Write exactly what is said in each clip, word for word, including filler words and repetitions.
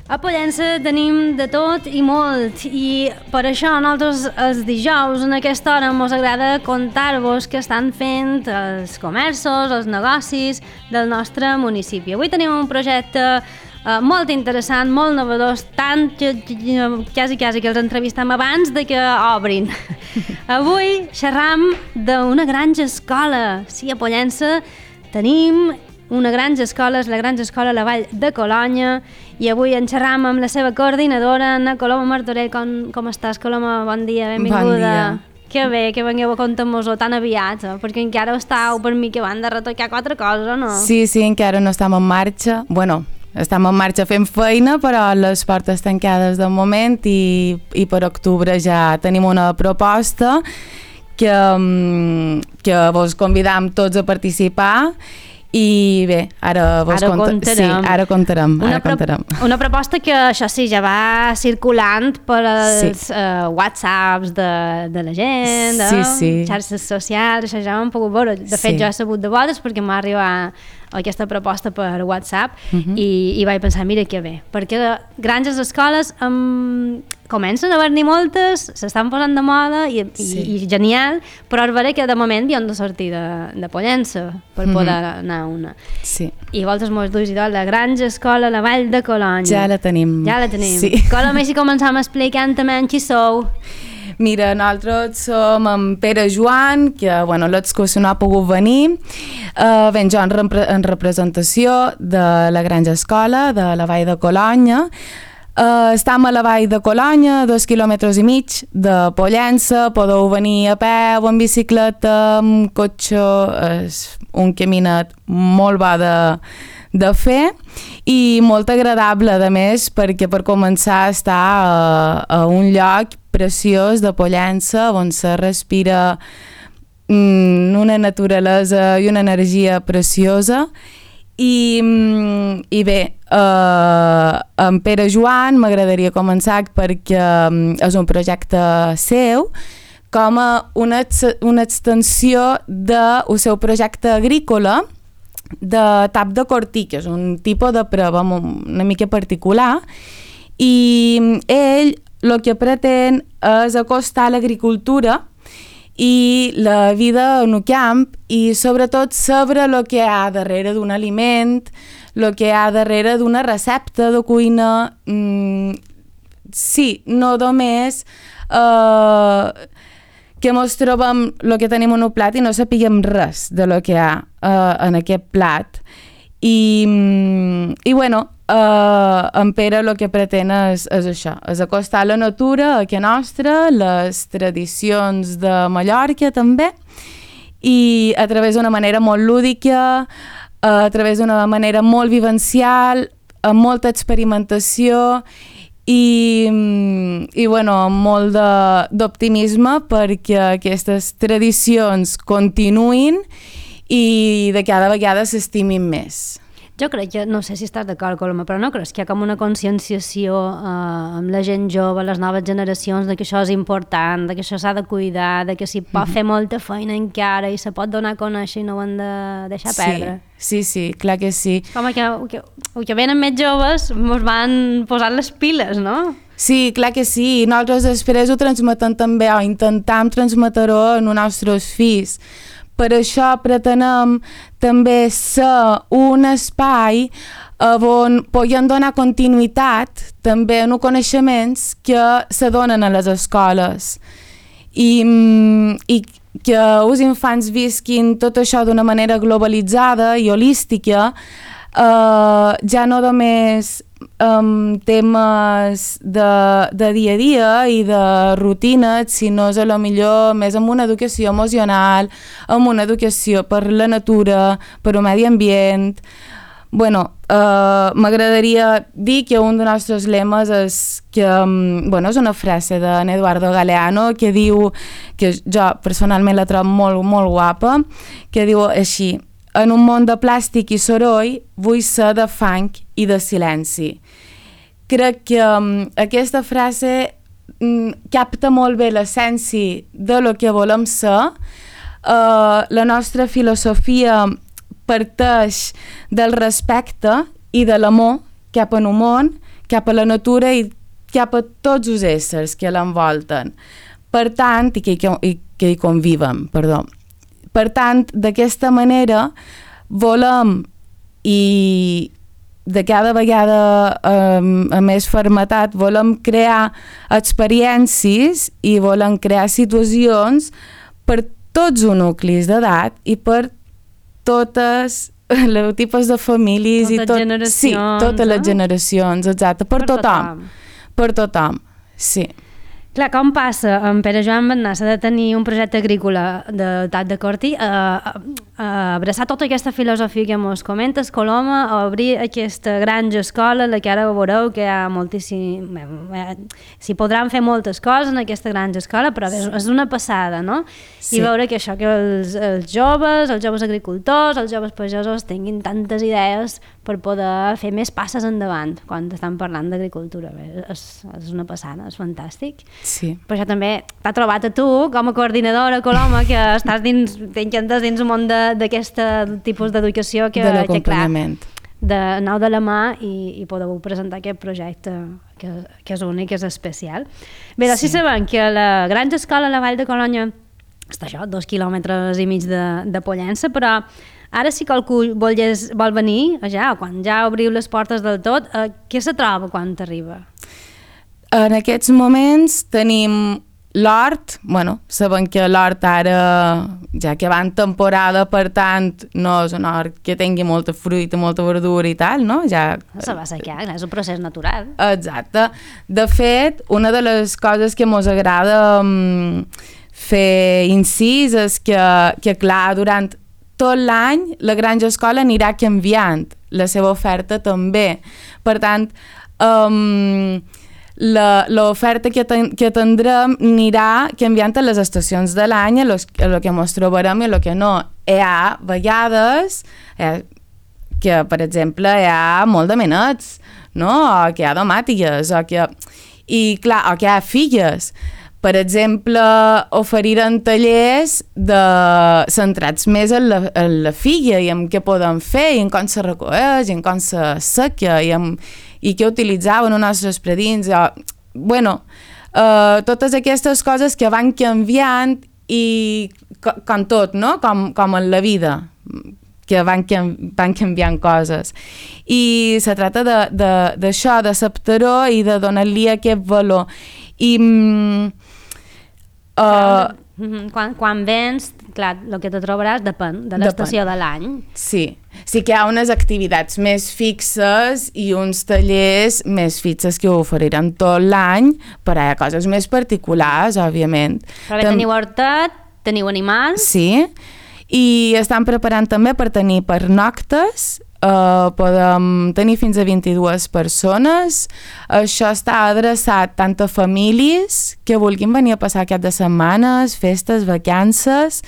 A Pollença tenim de tot i molt, i per això nosaltres els dijous en aquesta hora ens agrada contar-vos què estan fent els comerços, els negocis del nostre municipi. Avui tenim un projecte eh, molt interessant, molt novedós, tant que quasi, quasi que els entrevistem abans de que obrin. Avui xerram d'una granja escola. Sí, a Pollença tenim una granja escola, és la granja escola La Vall de Colonya, i avui en xerram amb la seva coordinadora, Anna Coloma Martorell. Com, com estàs, Coloma? Bon dia, benvinguda. Bon dia. Que bé que vengueu a contar-nos-ho tan aviat, eh? Perquè encara estàu per mi que van de retocar quatre coses, no? Sí, sí, encara no estem en marxa. Bueno, estem en marxa fent feina, però les portes tancades de moment, i, i per octubre ja tenim una proposta que, que vos convidam tots a participar. I bé, ara vos ara conta... contarem. Sí, ara contarem. Una, ara pro... contarem. una proposta que, això sí, ja va circulant per els sí. uh, whatsapps de, de la gent, sí, de sí. xarxes socials, això ja ho hem pogut veure. De fet, sí. jo he sabut de vosaltres perquè m'ha arribat aquesta proposta per WhatsApp, uh-huh. i, i vaig pensar, mira que bé, perquè granges escoles um, comencen a haver-n'hi moltes, s'estan posant de moda i, sí. i, i genial, però és vera que de moment hi han de sortir de, de Pollença per uh-huh. poder anar a una. Sí. I vosaltres mos duis i tot, la granja escola La Vall de Colonya. Ja la tenim. Ja la tenim. Sí. Coloma, si començam explicant també qui sou. Mira, nosaltres som en Pere Joan, que bueno, l'excursió no ha pogut venir. Uh, ben jo en, repre en representació de la granja escola de la Vall de Colonya. Uh, estem a la Vall de Colonya, dos quilòmetres i mig de Pollença. Podeu venir a peu, en bicicleta, amb cotxe. És un caminet molt bo de, de fer i molt agradable, a més, perquè per començar està a, a un lloc preciós de Pollença, on se respira mm, una naturalesa i una energia preciosa. I, mm, i bé, eh, en Pere Joan m'agradaria començar perquè mm, és un projecte seu, com a una, una extensió del seu projecte agrícola de tap de cortí, que és un tipus de prova una mica particular, i ell el que pretén és acostar l'agricultura i la vida en el camp, i sobretot saber el que hi ha darrere d'un aliment, el que hi ha darrere d'una recepta de cuina. Mm, sí, no només eh, que mos trobem el que tenim en un plat i no sapiguem res de lo que hi ha eh, en aquest plat. I, i bueno, Uh, en Pere el que pretén és, és això, és acostar la natura aquí nostra, les tradicions de Mallorca també, i a través d'una manera molt lúdica, uh, a través d'una manera molt vivencial, amb molta experimentació i, i bueno, amb molt d'optimisme perquè aquestes tradicions continuïn i de cada vegada s'estimin més. Jo crec que, no sé si estàs d'acord, Coloma, però no creus que hi ha com una conscienciació eh, amb la gent jove, les noves generacions, de que això és important, de que això s'ha de cuidar, de que s'hi pot mm-hmm. fer molta feina encara i se pot donar a conèixer i no ho hem de deixar sí, perdre. Sí, sí, clar que sí. Com que, que, que venen més joves ens van posant les piles, no? Sí, clar que sí. Nosaltres després ho transmetem també, o intentem transmetre-ho en els nostres fills. Per això pretenem també ser un espai on podem donar continuïtat també en els coneixements que se donen a les escoles i, i que els infants visquin tot això d'una manera globalitzada i holística, eh, ja no només um, temes de, de dia a dia i de rutines, sinó a lo millor més amb una educació emocional, amb una educació per la natura, per el medi ambient. Bueno, uh, m'agradaria dir que un dels nostres lemes és que, um, bueno, és una frase d'en Eduardo Galeano que diu, que jo personalment la trobo molt, molt guapa, que diu així: en un món de plàstic i soroll vull ser de fang i de silenci. Crec que um, aquesta frase um, capta molt bé l'essència de lo que volem ser. Uh, la nostra filosofia parteix del respecte i de l'amor cap al món, cap a la natura i cap a tots els éssers que l'envolten. Per tant, i que, i que hi conviven, perdó. Per tant, d'aquesta manera volem i de cada vegada eh, amb més fermetat volem crear experiències i volem crear situacions per tots els nuclis d'edat i per totes els tipus de famílies totes i tot, generacions, sí, totes les eh? generacions, exacte, per, Per tothom. tothom. Per tothom, sí. Clar, com passa en Pere Joan Bernassa de tenir un projecte agrícola de Tat de Corti a, a, a abraçar tota aquesta filosofia que mos comentes, Coloma, a obrir aquesta granja escola, la que ara veureu que hi ha moltíssim... S'hi podran fer moltes coses en aquesta granja escola, però és, és una passada, no? Sí. I veure que això, que els, els joves, els joves agricultors, els joves pagesos tinguin tantes idees per poder fer més passes endavant quan estan parlant d'agricultura. És, és una passada, és fantàstic. Sí. Per això també t'ha trobat a tu, com a coordinadora Coloma, que estàs dins, t'encantes dins un món d'aquest tipus d'educació que, de que clar, l'acompanyament. de anau de la mà i, i podeu presentar aquest projecte que, que és únic, que és especial. Bé, doncs sí. sí sabem que la granja escola a la Vall de Colonya està això, dos quilòmetres i mig de, de Pollença, però ara si qualcú vol, vol venir, ja, quan ja obriu les portes del tot, eh, què se troba quan t'arriba? En aquests moments tenim l'hort, bueno, sabem que l'hort ara, ja que va en temporada, per tant, no és un hort que tingui molta fruita, molta verdura i tal, no? Ja... Se va assecar, és un procés natural. Exacte. De fet, una de les coses que mos agrada um, fer incís és que, que, clar, durant tot l'any la granja escola anirà canviant, la seva oferta també. Per tant, um, l'oferta que, ten, que tindrem anirà canviant a les estacions de l'any, a el que ens trobarem i a el que no. Hi ha vegades eh, que, per exemple, hi ha molt de menets, no? O que hi ha domàtiques, o que... I, clar, o que hi ha filles. Per exemple, oferiran tallers de... centrats més en la, en la filla i en què podem fer, i en com se recoeix, i en com se seca, i, en, i què utilitzaven els nostres predins. O, bueno, uh, totes aquestes coses que van canviant i com, com tot, no? Com, com en la vida, que van, van canviant coses. I se tracta d'això, de, de, d'acceptar-ho i de donar-li aquest valor. I... Uh, quan, quan vens, clar, el que te trobaràs depèn de l'estació de l'any. Sí, sí que hi ha unes activitats més fixes i uns tallers més fixes que oferiran tot l'any, però hi ha coses més particulars, òbviament. Però bé, Tam... teniu hortet, teniu animals... Sí, i estan preparant també per tenir pernoctes. Uh, podem tenir fins a vint-i-dues persones. Això està adreçat tant a famílies que vulguin venir a passar cap de setmanes, festes, vacances,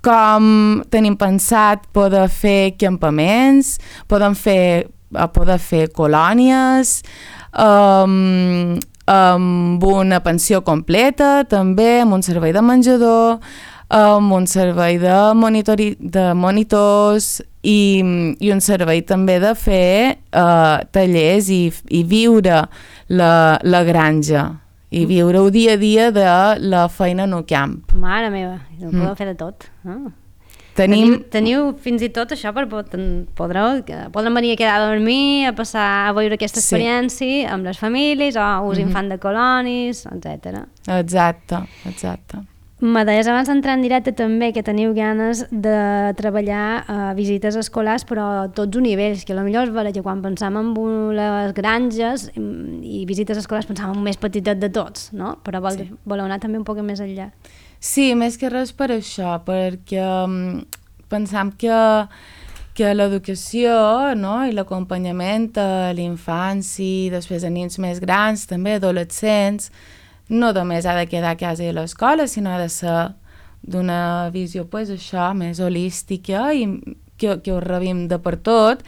com tenim pensat poder fer campaments, podem fer, poder fer colònies, um, amb una pensió completa també, amb un servei de menjador, amb un servei de, monitori, de monitors i, i un servei també de fer uh, tallers i, i viure la, la granja i viure el dia a dia de la feina en el camp. Mare meva, ho podeu mm. fer de tot. Ah. Tenim... Teniu, teniu fins i tot això per podreu, podran venir a quedar a dormir, a passar a veure aquesta experiència sí. amb les famílies o us mm-hmm. infant de colonis, etcètera. Exacte, exacte. Me deies abans d'entrar en directe també que teniu ganes de treballar a uh, visites escolars però a tots els nivells, que potser és vera que quan pensam en les granges i visites escolars pensam en més petitet de tots, no? Però vol, sí. voleu anar també un poc més enllà. Sí, més que res per això, perquè um, pensam que, que l'educació, no? I l'acompanyament a l'infància, després a nens més grans, també adolescents, no només ha de quedar a casa i a l'escola, sinó ha de ser d'una visió, pues, això, més holística i que, que ho rebim de per tot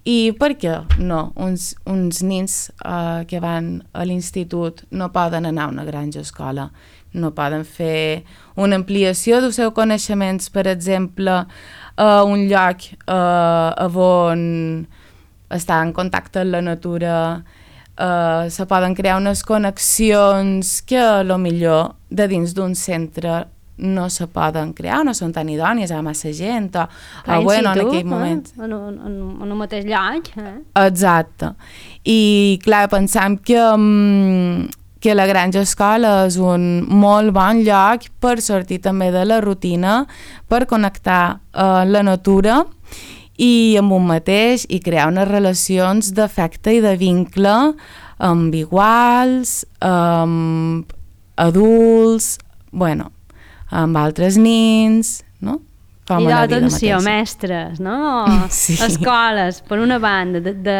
I per què no? Uns, uns nens uh, que van a l'institut no poden anar a una granja escola, no poden fer una ampliació dels seus coneixements, per exemple, a un lloc uh, on està en contacte amb la natura, uh, se poden crear unes connexions que a lo millor de dins d'un centre no se poden crear, no són tan idònies, hi ha massa gent, o, Clar, o bueno, en en aquell moment... Eh? En, en, en un mateix lloc. Eh? Exacte. I, clar, pensam que, um, que la granja escola és un molt bon lloc per sortir també de la rutina, per connectar uh, la natura i amb un mateix i crear unes relacions d'afecte i de vincle amb iguals, amb adults, bueno, amb altres nens, no? Com I d'atenció, mestres, no? Sí. Escoles, per una banda, de, de,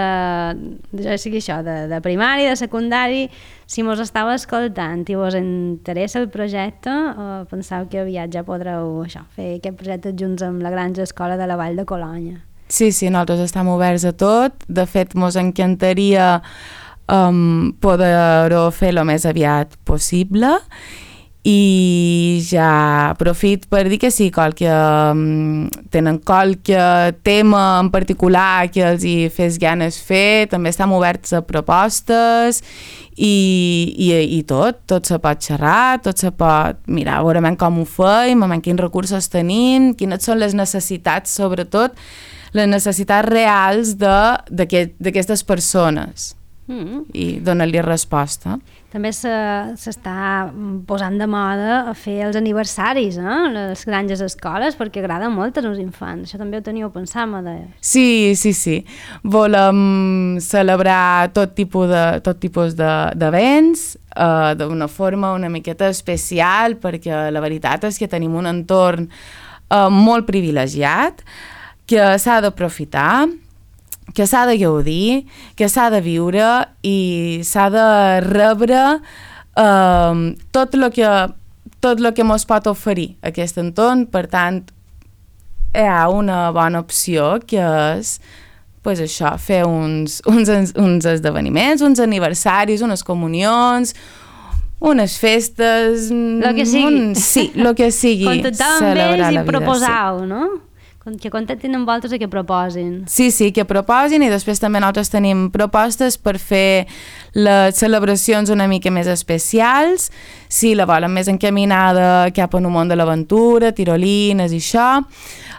de, ja sigui això, de, de primari, de secundari, si mos estàu escoltant i vos interessa el projecte, eh, penseu que aviat ja podreu això, fer aquest projecte junts amb la Granja Escola de la Vall de Colònia. Sí, sí, nosaltres estem oberts a tot. De fet, mos encantaria um, poder-ho fer el més aviat possible. I ja aprofit per dir que sí, qualque, um, tenen qualque tema en particular que els hi fes ganes fer, també estem oberts a propostes i, i, i tot, tot se pot xerrar, tot se pot mirar, veurem com ho feim, amb quins recursos tenim, quines són les necessitats, sobretot les necessitats reals d'aquestes persones. Mm. I donar-li resposta. També s'està posant de moda a fer els aniversaris, eh? Les granges escoles, perquè agrada molt als infants. Això també ho teníeu pensat, Medea. Sí, sí, sí. Volem celebrar tot tipus de, tot tipus d'events eh, d'una forma una miqueta especial, perquè la veritat és que tenim un entorn eh, molt privilegiat, que s'ha d'aprofitar, que s'ha de gaudir, que s'ha de viure i s'ha de rebre eh, tot el que, tot lo que mos pot oferir aquest entorn. Per tant, hi ha una bona opció que és pues això, fer uns, uns, uns esdeveniments, uns aniversaris, unes comunions, unes festes... Lo que sigui. Un, sí, el que sigui. Contactar amb ells i proposar-ho, sí. No? Que contactin amb vosaltres i que proposin. Sí, sí, que proposin, i després també nosaltres tenim propostes per fer les celebracions una mica més especials, si la volen més encaminada cap en un món de l'aventura, tirolines i això,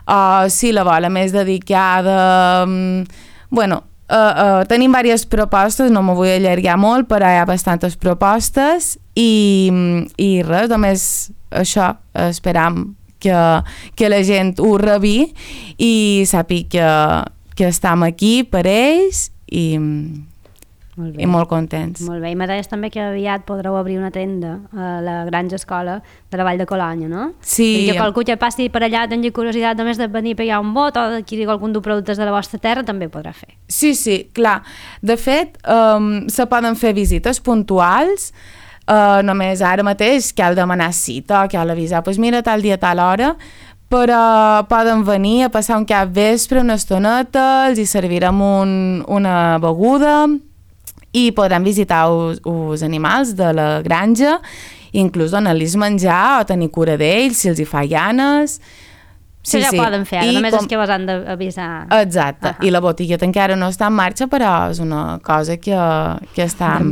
o si la volen més dedicada... Bueno, uh, uh, tenim diverses propostes, no m'ho vull allargar molt, però hi ha bastantes propostes i, i res, només això, esperam que, que la gent ho rebi i sàpiga que, que estem aquí per ells i, molt i molt contents. Molt bé, i me deies també que aviat podreu obrir una tenda a la Granja Escola de la Vall de Colònia, no? Sí. I que qualcú que passi per allà tingui curiositat només de venir a pegar un vot o d'adquirir algun dels productes de la vostra terra també podrà fer. Sí, sí, clar. De fet, um, se poden fer visites puntuals. Uh, només ara mateix cal demanar cita, cal avisar, doncs mira, tal dia, tal hora, però poden venir a passar un cap vespre, una estoneta, els hi servirem un, una beguda i podran visitar els animals de la granja, inclús donar-los menjar o tenir cura d'ells si els hi fa ganes. Sí, ja sí. Poden fer, ara, només com... és que vos han d'avisar. Exacte, uh-huh. I la botigueta encara no està en marxa, però és una cosa que, que estan,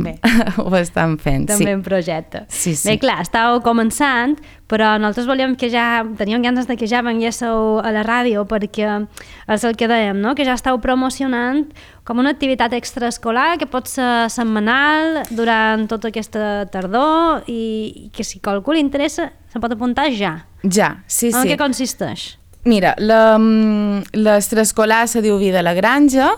ho estan fent. També sí. en projecte. Sí, sí. Bé, clar, estàveu començant, però nosaltres volíem que ja, teníem ganes de que ja venguéssiu a la ràdio, perquè és el que dèiem, no? Que ja estàu promocionant com una activitat extraescolar que pot ser setmanal durant tota aquesta tardor i que si qualcú li interessa se pot apuntar ja. Ja, sí, sí. En què consisteix? Mira, l'extraescolar se diu Vida a la Granja.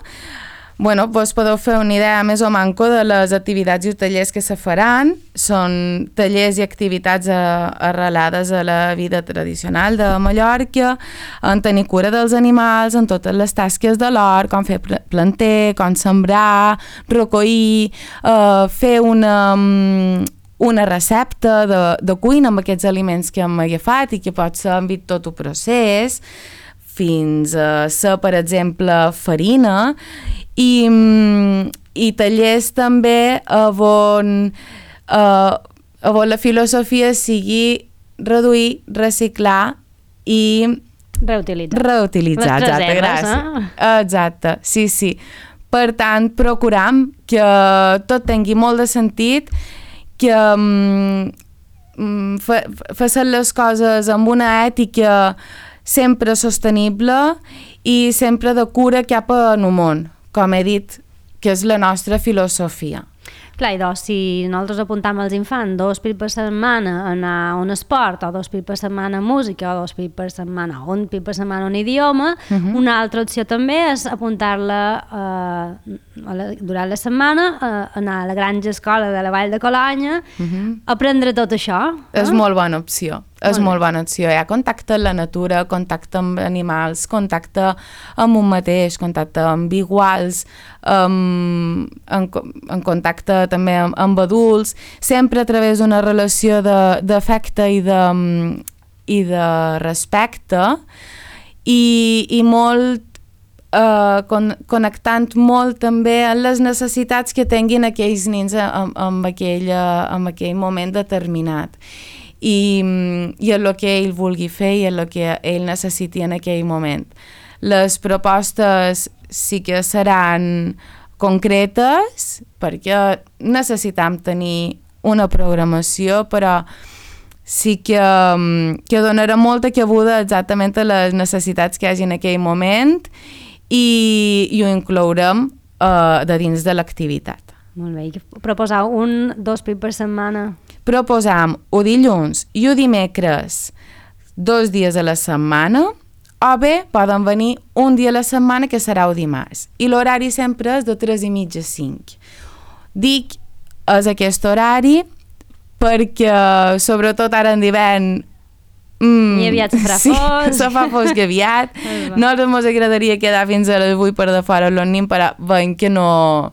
Bueno, vos podeu fer una idea més o manco de les activitats i tallers que se faran. Són tallers i activitats arrelades a la vida tradicional de Mallorca, en tenir cura dels animals, en totes les tasques de l'hort, com fer planter, com sembrar, recollir, eh, fer una... una recepta de, de cuina amb aquests aliments que hem agafat i que pot ser en tot el procés, fins a ser, per exemple, farina, i, i tallers també on, uh, on la filosofia sigui reduir, reciclar i reutilitzar. Reutilitzar, les exacte, reserves, gràcies. Eh? Exacte, sí, sí. Per tant, procuram que tot tingui molt de sentit, que um, fa, fa les coses amb una ètica sempre sostenible i sempre de cura cap en el món, com he dit, que és la nostra filosofia. Clar, i doncs, si nosaltres apuntam als infants dos pits per setmana a anar a un esport, o dos pits per setmana a música, o dos pits per setmana, o un pit per setmana a un idioma, uh -huh. una altra opció també és apuntar-la eh, la, durant la setmana a anar a la granja escola de la Vall de Colanya, uh -huh. a aprendre tot això. Eh? És molt bona opció. És molt, molt bona opció. Hi ha contacte amb la natura, contacte amb animals, contacte amb un mateix, contacte amb iguals, amb, en, en contacte també amb, amb adults, sempre a través d'una relació d'afecte i, de, i de respecte, i, i molt eh, con, connectant molt també amb les necessitats que tinguin aquells nens en, en, aquell, en aquell moment determinat. I, i en el que ell vulgui fer i en el que ell necessiti en aquell moment. Les propostes sí que seran concretes perquè necessitam tenir una programació, però sí que, que donarà molta cabuda exactament a les necessitats que hi hagi en aquell moment i, i ho inclourem uh, de dins de l'activitat. Molt bé, i proposar un, dos pits per setmana? Proposam o dilluns i o dimecres dos dies a la setmana, o bé poden venir un dia a la setmana que serà el dimarts. I l'horari sempre és de tres i mitja a cinc. Dic és aquest horari perquè, sobretot ara en d'hivern, Mm, I aviat se farà sí, fosc. se fa fosc aviat. No ens agradaria quedar fins a les vuit per de fora los nins, però veiem que no...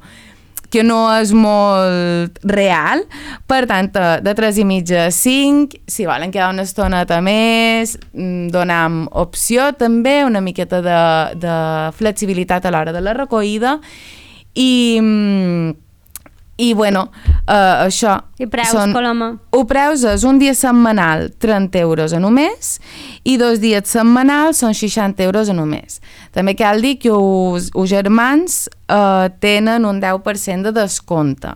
que no és molt real, per tant, de tres i mitja a cinc, si volen quedar una estoneta més, donam opció també, una miqueta de, de flexibilitat a l'hora de la recollida, i, i bueno, uh, això... I preus, són, Coloma? O preus és un dia setmanal, trenta euros a només, i dos dies setmanals són seixanta euros a només. També cal dir que els, els germans uh, tenen un deu per cent de descompte.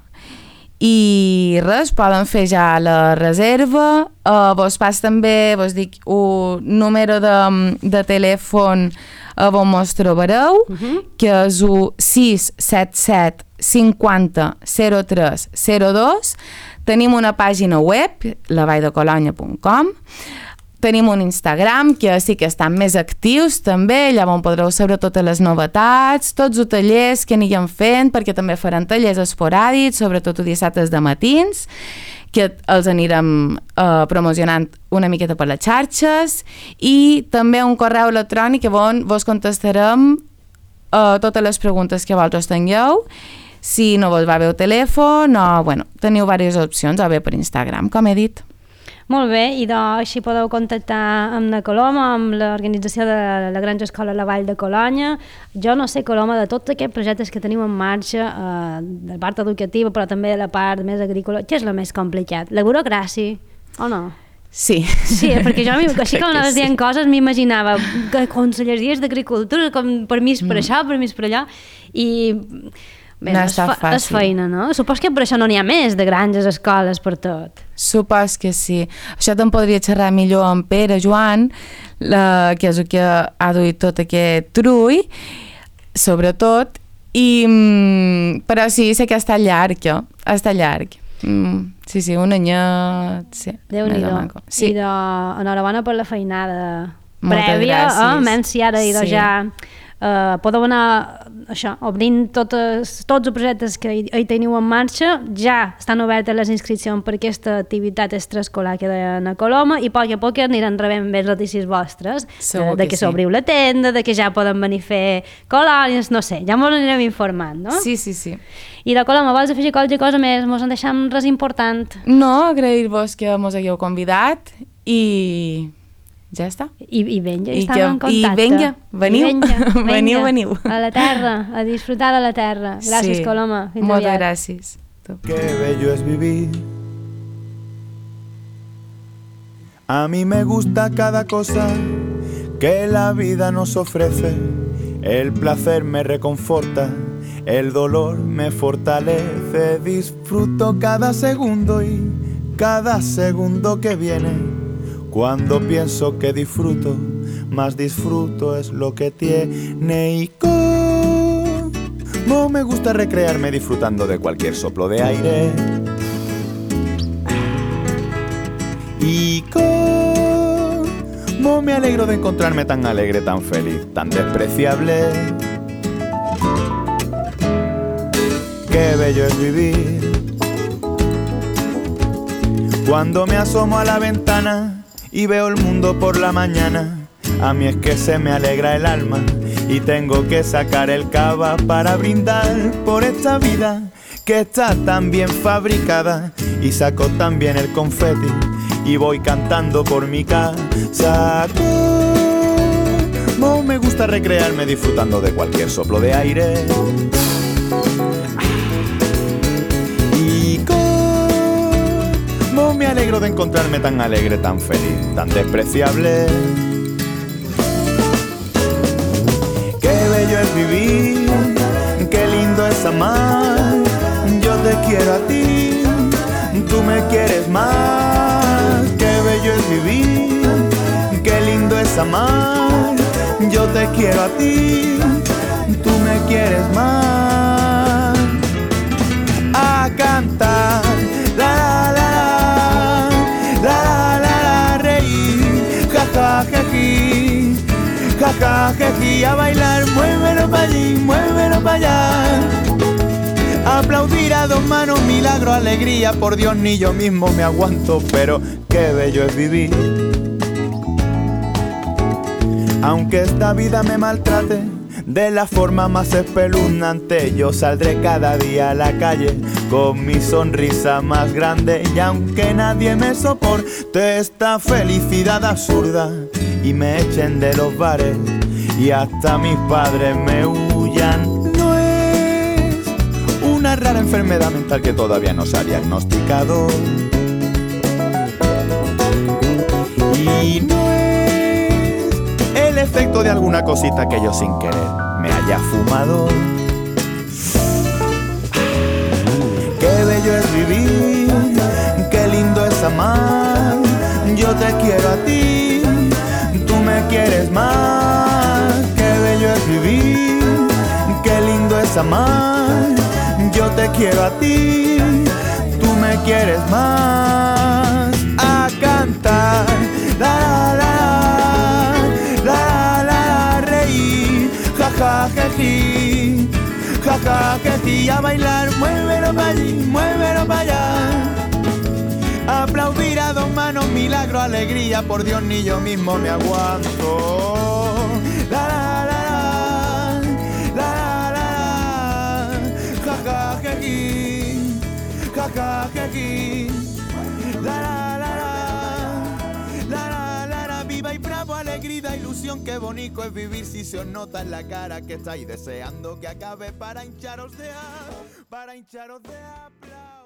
I res, poden fer ja la reserva, uh, vos pas també, vos dic, un número de, de telèfon a on mos trobareu, uh -huh. que és el sis set set cinquanta zero tres zero dos. Tenim una pàgina web, la vall de colanya punt com. Tenim un Instagram, que sí que estan més actius també, allà on podreu saber totes les novetats, tots els tallers que anirem fent, perquè també faran tallers esporàdics, sobretot els dissabtes de matins, que els anirem uh, promocionant una miqueta per les xarxes, i també un correu electrònic on vos contestarem uh, totes les preguntes que vosaltres tingueu, si no vos va bé el telèfon, o, bueno, teniu diverses opcions, o bé per Instagram, com he dit. Molt bé, i doncs així podeu contactar amb la Coloma, amb l'organització de la Granja Escola La Vall de Colanya. Jo no sé, Coloma, de tots aquests projectes que tenim en marxa, eh, de la part educativa, però també de la part més agrícola, què és el més complicat? La burocràcia, o no? Sí. Sí, perquè jo, així com anaves dient coses, m'imaginava que conselleries d'agricultura, com permís per això, permís per allò, i... Bé, no és, està fa, és fàcil. feina, no? Supos que per això no n'hi ha més de granges, escoles, per tot. Supos que sí. Això te'n podria xerrar millor amb Pere Joan, la, que és el que ha duit tot aquest trull, sobretot, i, però sí, sé que està llarg, està llarg. Mm, sí, sí, un anyet, sí. Déu-n'hi-do. Sí. I de, enhorabona per la feinada Moltes prèvia, gràcies. eh? Menys si ara idò Sí. ja... Uh, podeu anar això, obrint totes, tots els projectes que hi, hi teniu en marxa. Ja estan obertes les inscripcions per aquesta activitat extraescolar que deien a Coloma, i a poc a poc aniran rebent més notícies vostres de, de que, que sí. s'obriu la tenda, de que ja poden venir a fer colònies, no sé, ja ens anirem informant, no? Sí, sí, sí. I de Coloma, vols afegir qualque cosa més? Mos en deixem res important? No, agrair-vos que mos hagueu convidat, i Ja està. I, i vinga, I estem que- en contacte. i vinga, veniu, I vinga, vinga, veniu, veniu. A la terra, a disfrutar de la terra. Gràcies, Sí. Coloma. Fins Moltes aviat. gràcies. Qué bello es vivir. A mí me gusta cada cosa que la vida nos ofrece. El placer me reconforta, el dolor me fortalece. Disfruto cada segundo y cada segundo que viene. Cuando pienso que disfruto, más disfruto es lo que tiene. Y como me gusta recrearme disfrutando de cualquier soplo de aire. Y cómo me alegro de encontrarme tan alegre, tan feliz, tan despreciable. Qué bello es vivir. Cuando me asomo a la ventana y veo el mundo por la mañana, a mí es que se me alegra el alma y tengo que sacar el cava para brindar por esta vida que está tan bien fabricada. Y saco también el confeti y voy cantando por mi casa. Como me gusta recrearme disfrutando de cualquier soplo de aire. Y como me alegro de encontrarme tan alegre, tan feliz, tan despreciable. Qué bello es vivir, qué lindo es amar. Yo te quiero a ti, tú me quieres más. Qué bello es vivir, qué lindo es amar. Yo te quiero a ti, tú me quieres más. A cantar, la la la la la la, reír, ja ja jeji, ja ja jeji, a bailar, muévelo pa' allí, muévelo pa' allá. Aplaudir a dos manos, milagro, alegría, por Dios ni yo mismo me aguanto, pero qué bello es vivir. Aunque esta vida me maltrate de la forma más espeluznante, yo saldré cada día a la calle con mi sonrisa más grande. Y aunque nadie me soporte esta felicidad absurda y me echen de los bares y hasta mis padres me huyan, una rara enfermedad mental que todavía no se ha diagnosticado. Y no es el efecto de alguna cosita que yo sin querer me haya fumado. Qué bello es vivir, qué lindo es amar. Yo te quiero a ti, tú me quieres más. Qué bello es vivir, qué lindo es amar. Yo te quiero a ti, tú me quieres más. A cantar, la la la la la, reír, ja ja jeji, ja ja jeji, a bailar, muévelo pa' allí, muévelo pa' allá. Aplaudir a dos manos, milagro, alegría, por Dios ni yo mismo me aguanto. La la la ja ja jeji, la la la la la la la, viva y bravo, alegría, ilusión, qué bonito es vivir si se os nota en la cara que estáis deseando que acabe para hincharos de a, para hincharos de aplausos.